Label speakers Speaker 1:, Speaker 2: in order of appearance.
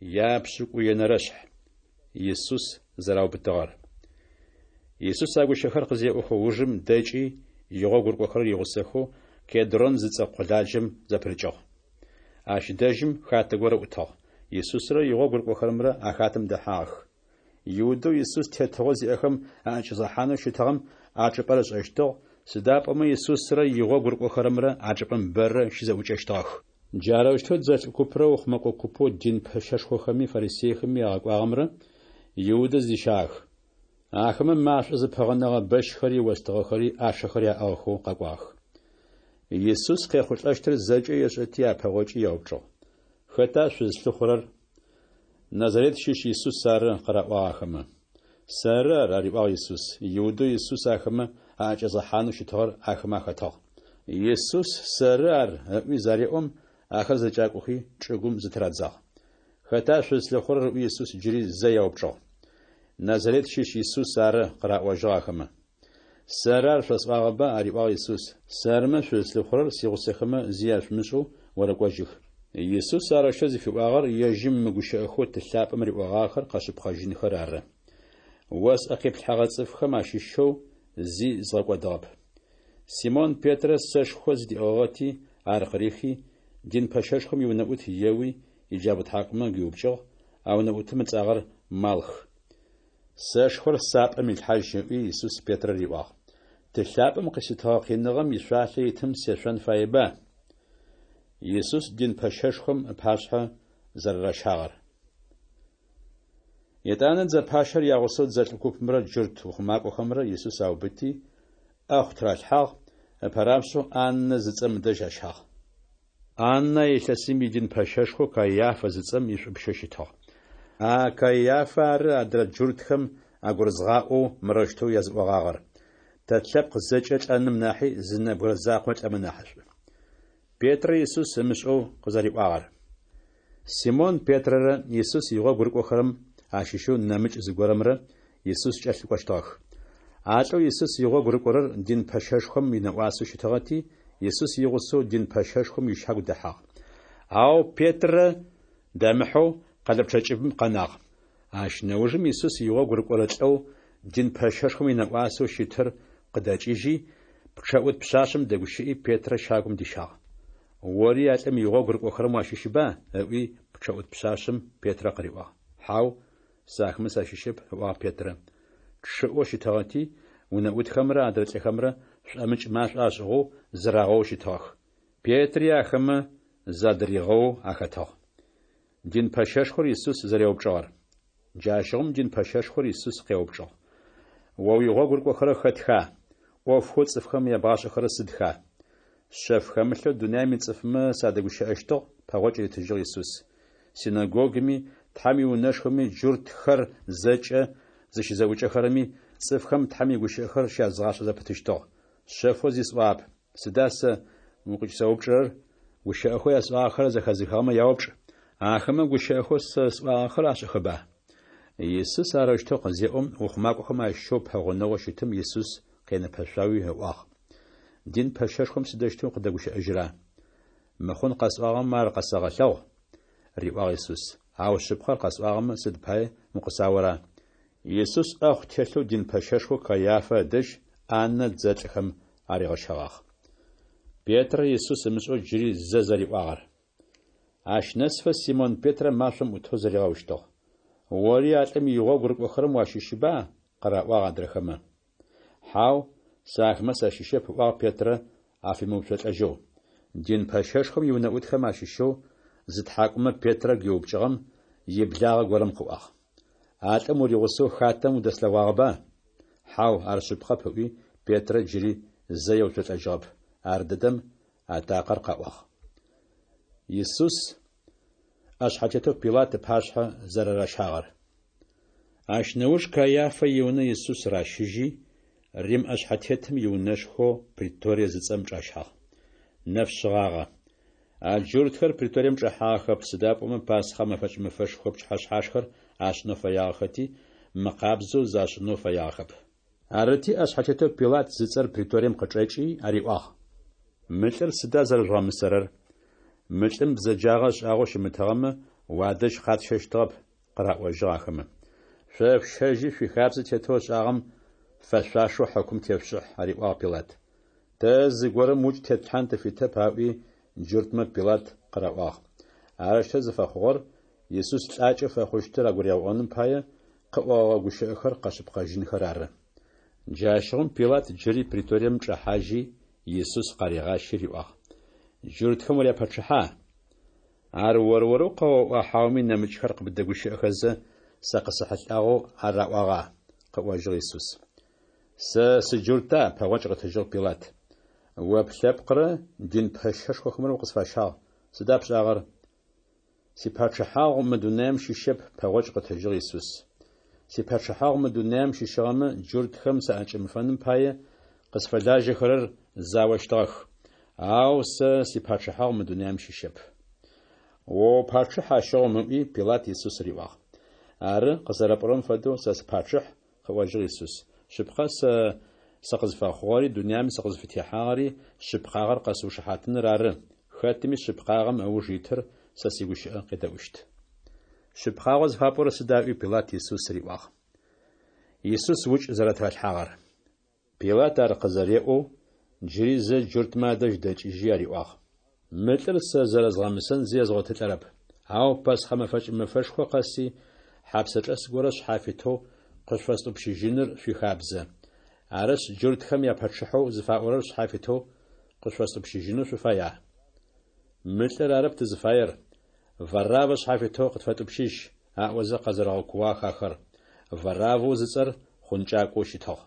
Speaker 1: Япшӏыкӏуенэрэшъхь. Исус зэраубытыгъэр. Исус а гущыӏэхэр къызеӏохэ ужым дэкӏи, игъогу рыкӏохэрэр игъусэхэу Кедрон зыцӏэ къуладжэм зэпырыкӏыгъ. Ащ дэжьым хатэ горэ ӏутыгъ. Исусрэ игъогу рыкӏохэрэмрэ а хатэм дэхьагъэх. Иудэу Исус тетыгъо зиӏэхэм аӏэкӏэзгъэхьанэу щытыгъэм а чӏыпӏэр ышӏэщтыгъ, сыда пӏомэ Исусрэ игъогу рыкӏохэрэмрэ а чӏыпӏэм бэрэ щызэӏукӏэщтыгъэх. Джарэущтэу дзэлӏ купрэ ухъумэкӏо купэу дин пэщэшхохэми фарисейхэми агъэкӏуагъэмрэ Иудэ зыдищагъэх. Ахэмэ машӏо зыпыгъэнэгъэ бэщхэри остыгъэхэри ӏашэхэри аӏыгъхэу къэкӏуагъэх. Исус къехъулӏэщтыр зэкӏэ ешӏэти апэгъокӏи яупчӏыгъ: Хэта шъузлъыхъурэр? Назарет щыщ Исус ары, къыраӏуагъ ахэмэ. Сэры ар, ариӏуагъ Исус. Иудэу Исус ахэмэ аӏэкӏэзгъэхьанэу щытыгъэр ахэмэ ахэтыгъ. Исус Сэры ар ыӏуи зареӏом, ахэр зэкӏакӏохи, чӏыгум зытырадзагъ. Хэта шъузлъыхъурэр ыӏуи Исус джыри зэ яупчӏыгъ. Назарет щыщ Исус ары, къыраӏожьыгъ ахэмэ. Сэры ар шъосӏуагъэба, ариӏуагъ Исус, сэрымэ шъузлъыхъурэр сигъусэхэмэ зи яшъумышӏэу орэкӏожьых. Исус арэущтэу зыфиӏуагъэр ежьым мы гущыӏэхэу Ты лъапӏэм риӏогъагъэхэр къэшъыпкъэжьынхэр ары. О сӏэ къиплъхьэгъэ цӏыфхэм ащыщэу зи згъэкӏодыгъэп. Симон Петрэ сэшхо зыдиӏыгъыгъэти, ар къырихи, дин пэщэшхом иунэӏут еуи, иджабгъу тхьакӏумэ гуиупкӏыгъ, а унэӏутым ыцӏагъэр Малх. Сэшхор сапӏэм илъхьажь, ыӏуи, Исус Петрэ риӏуагъ. Ты лъапӏэм къыситыгъэ къиныгъэм ишъуалъэ итым сешъон фаеба? Исус дин пэщэшхом ыпашъхьэ зэрэращагъэр. Етӏанэ дзэ пащэр ягъусэу дзэлӏ купымрэ джурт ухъумакӏохэмрэ Исус аубыти, ӏэхъу тыралъхьагъ, ыпэрапшӏэу Аннэ зыцӏэм ыдэжь ащагъ. Аннэ а илъэсым идин пэщэшхоу Каиафэ зыцӏэм ишӏупщэу щытыгъ. А Каиафэ ары адрэ джуртхэм агурызгъаӏоу мырэущтэу языӏогъагъэр: Тэ тлъэпкъ зэкӏэ лӏэным нахьи зы нэбгырэ закъо лӏэмэ нахьышӏу. Петрэ Исус ымышӏэу къызэриӏуагъэр. Симон Петрэрэ Исус игъогу рыкӏохэрэм ащыщэу нэмыкӏ зыгорэмрэ Исус кӏэлъыкӏощтыгъэх. А лӏэу Исус игъогу рыкӏорэр дин пэщэшхом инэӏуасэу щытыгъэти, Исус игъусэу дин пэщэшхом ищагу дэхьагъ. Ау Петрэ дэмыхьэу къэлэпчъэ кӏыбым къэнагъ. Ащ нэужым Исус игъогу рыкӏорэ лӏэу дин пэщэшхом инэӏуасэу щытыр къыдэкӏыжьи, пчъэӏут пшъашъэм дэгущыӏи, Петрэ щагум дищагъ. Ори а лӏым игъогу рыкӏохэрэм уащыщба? ыӏуи, пчъэӏут пшъашъэм Петрэ къыриӏуагъ. Хьау, сэ ахэмэ сащыщэп, ыӏуагъ Петрэ. Чъыӏэу щытыгъэти, унэӏутхэмрэ адрэ лӏыхэмрэ шӏомыкӏ машӏо ашӏыгъэу зырагъэоу щытыгъэх. Петри ахэмэ задыригъэоу ахэтыгъ. Дин пэщэшхор Исус зэреупчӏыгъэр. Джащыгъум дин пэщэшхор Исус къеупчӏыгъ: О уигъогу рыкӏохэрэр хэтха? ӏофхэу цӏыфхэм ябгъашӏэхэрэр сыдха? Шъэф хэмылъэу дунаим ицӏыфмэ садэгущыӏэщтыгъ, пэгъокӏ ритыжьыгъ Исус. Синэгогуми, Тхьэм иунэшхоми джуртхэр зэкӏэ зыщызэӏукӏэхэрэми цӏыфхэм Тхьэм игущыӏэхэр щязгъашӏэ зэпытыщтыгъ. Шъэфэу зи сӏуагъэп. Сыда сэ укъыкӏысэупчӏырэр? Гущыӏэхэу ясӏуагъэхэр зэхэзыхыгъэмэ яупчӏ. Ахэмэ гущыӏэхэу сэ сӏуагъэхэр ашӏэхэба? Исус арэущтэу къызеӏом, ухъумакӏохэм ащыщэу пэгъунэгъоу щытым Исус къенэпэшъуауи ыӏуагъ. Дин пэщэшхом сыдэущтэу къыдэгущыӏэжьра? Мыхъун къэсӏуагъэмэ ар къэсэгъэлъэгъу, риӏуагъ Исус. Ау шъыпкъэр къэсӏуагъэмэ, сыд пае укъысаора? Исус ӏэхъу телъэу дин пэщэшхоу Каиафэ ыдэжь Аннэ дзэлӏхэм аригъэщэгъагъ. Петрэ Исус ымышӏэу джыри зэ зэриӏуагъэр. Ащ нэсыфэ Симон Петрэ машӏом ӏутэу зыригъэущтыгъ. Ори а лӏым игъогу рыкӏохэрэм уащыщба? къыраӏуагъ адрэхэмэ. Хьау, сэ ахэмэ сащыщэп, ыӏуагъ Петрэ афемыуцолӏэжьэу. Дин пэщэшхом иунэӏутхэм ащыщэу зытхьакӏумэ Петрэ гуиупкӏыгъэм иблагъэ горэм къыӏуагъ. А лӏым уригъусэу хатэм удэслъэгъуагъэба? Хьау, ар шъыпкъэп, ыӏуи, Петрэ джыри зэ еуцолӏэжьыгъэп. Ардэдэм атакъэр къэӏуагъ. Исус ӏэшъхьэтетэу Пилат ыпашъхьэ зэрэращагъэр. Ащ нэуж Каиафэ иунэ Исус ращыжьи, Рим ӏэшъхьэтетым иунэшхоу Преторие зыцӏэм чӏащагъ. Нэф шъыгъагъэ. А джуртхэр преторием чӏэхьагъэхэп, сыда пӏомэ Пасхъэ мэфэкӏ мэфэшхо пчыхьэшъхьашхэр ашӏынэу фэягъэхэти, мыкъабзэу зашӏынэу фэягъэхэп. Арыти, ӏэшъхьэтетэу Пилат зыцӏэр преторием къычӏэкӏи ариӏуагъ. Мы лӏыр сыда зэрэжъугъэмысэрэр? Мы лӏым бзэджагъэ ышӏагъэу щымытыгъэмэ, Уадэжь къатщэщтыгъэп, къыраӏожьыгъ ахэмэ. Шъо шъущэжьи, шъуихабзэ тетэу ышӏагъэм фэшъуашэу хьыкум тешъушӏыхь, ариӏуагъ Пилат. Тэ зыгорэм укӏ тетлъхьан тыфитэп, аӏуи, джуртмэ Пилат къыраӏуагъ. Арэущтэу зыфэхъугъэр Исус лӏакӏэу фэхъущтыр агуригъэӏоным пае, къыӏогъэгъэ гущыӏэхэр къэшъыпкъэжьынхэр ары. Джащыгъум Пилат джыри преторием чӏэхьажьи, Исус къаригъащи риӏуагъ: Джуртхэм уряпачъыхьа? Ар ор-орэу къэоӏуа хьауми нэмыкӏхэр къыбдэгущыӏэхэзэ, сэ къысэхьылӏагъэу ар раӏуагъа? къыӏожьыгъ Исус. Сэ сыджурта? пэгъокӏ къытыжьыгъ Пилат. О плъэпкърэ дин пэщэшхохэмрэ укъысфащагъ. Сыда пшӏагъэр? Сипачъыхьагъу мы дунаем щыщэп, пэгъокӏ къытыжьыгъ Исус. Сипачъыхьагъу мы дунаем щыщыгъэмэ, джуртхэм саӏэкӏэмыфэным пае, къысфэлажьэхэрэр заощтыгъэх. Ау сэ сипачъыхьагъу мы дунаем щыщэп. О упачъыхь ащыгъум, ыӏуи, Пилат Исус риӏуагъ. Ары, къызэрэпӏорэм фэдэу сэ сыпачъыхь, къыӏожьыгъ Исус. Шъыпкъэ, сэ сыкъызфэхъугъэри дунаем сыкъызфытехьагъэри шъыпкъагъэр къэсыушыхьатыныр ары, хэтми шъыпкъагъэм ыуж итыр сэ сигущыӏэ къедэӏущт. Шъыпкъагъэу зыфапӏорэр сыда? ыӏуи, Пилат Исус риӏуагъ. Исус укӏ зэрэтыралъхьагъэр. Пилат ар къызэреӏоу, джыри зэ джуртмэ адэжь дэкӏыжьи ариӏуагъ. Мы лӏыр сэ зэрэзгъэмысэн зи езгъотылӏэрэп. Ау Пасхъэ мэфэкӏ мэфэшхо къэси, хьапсэчӏэс горэ шъхьафитэу къышъуфэстӏупщыжьыныр шъуихабзэ. Арышъ, джуртхэм япачъыхьэу зыфаӏорэр шъхьафитэу къышъуфэстӏупщыжьынэу шъуфая? Мы лӏыр арэп тызыфаер, Вараввэ шъхьафитэу къытфэтӏупщыжь, аӏозэ къэзэрэгъэкууагъэх ахэр. Вараввэу зыцӏэр хъункӏакӏоу щытыгъ.